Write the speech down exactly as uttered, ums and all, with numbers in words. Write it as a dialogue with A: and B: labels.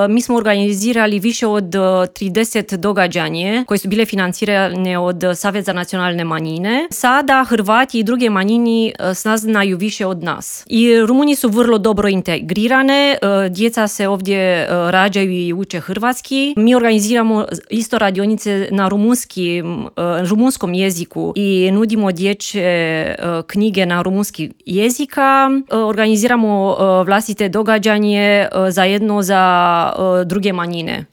A: mi smo organizirali više od trideset događanja koje su bile financirane od Saveza nacionalne manjine. Sada Hrvati i druge manjini s nas znaju više od nas. I Rumunji su vrlo dobro integrirane, djeca se ovdje rađaju i uče hrvatski. Mi organiziramo isto radionice na rumunski, rumunskom jeziku i nudimo dječje knjige na rumunski jezika. Organiziramo vlastite događanje zajedno za druge manjine.